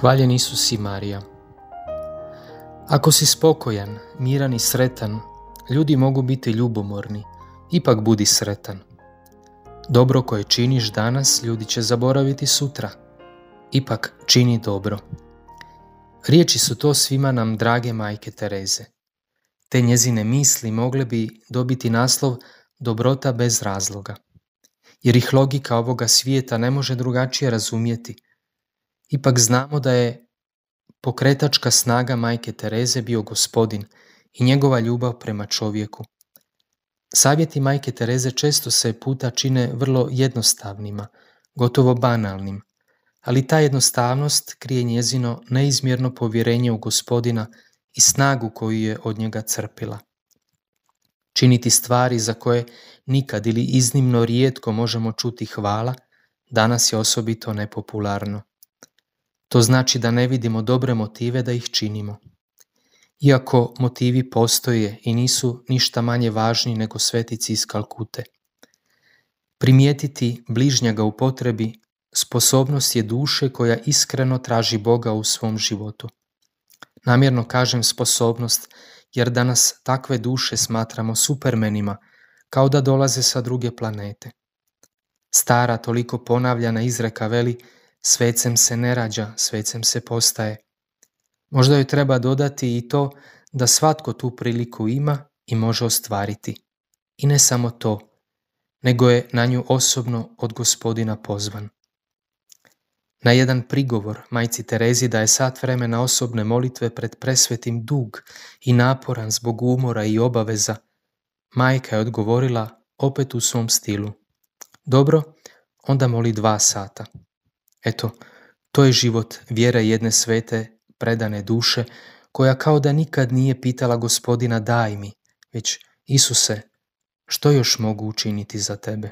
Hvaljen Isus i Marija. Ako si spokojan, miran i sretan, ljudi mogu biti ljubomorni, ipak budi sretan. Dobro koje činiš danas, ljudi će zaboraviti sutra, ipak čini dobro. Riječi su to svima nam drage majke Tereze. Te njezine misli mogle bi dobiti naslov Dobrota bez razloga, jer ih logika ovoga svijeta ne može drugačije razumjeti. Ipak znamo da je pokretačka snaga majke Tereze bio Gospodin i njegova ljubav prema čovjeku. Savjeti majke Tereze često se puta čine vrlo jednostavnima, gotovo banalnim, ali ta jednostavnost krije njezino neizmjerno povjerenje u Gospodina i snagu koju je od njega crpila. Činiti stvari za koje nikad ili iznimno rijetko možemo čuti hvala, danas je osobito nepopularno. To znači da ne vidimo dobre motive da ih činimo. Iako motivi postoje i nisu ništa manje važni nego svetici iz Kalkute. Primijetiti bližnjega u potrebi sposobnost je duše koja iskreno traži Boga u svom životu. Namjerno kažem sposobnost, jer danas takve duše smatramo supermenima, kao da dolaze sa druge planete. Stara, toliko ponavljana izreka veli: svecem se ne rađa, svecem se postaje. Možda joj treba dodati i to da svatko tu priliku ima i može ostvariti. I ne samo to, nego je na nju osobno od Gospodina pozvan. Na jedan prigovor majci Terezi da je sat vremena osobne molitve pred presvetim dug i naporan zbog umora i obaveza, majka je odgovorila opet u svom stilu: dobro, onda moli 2 sata. Eto, to je život vjere jedne svete, predane duše, koja kao da nikad nije pitala Gospodina daj mi, već Isuse, što još mogu učiniti za tebe?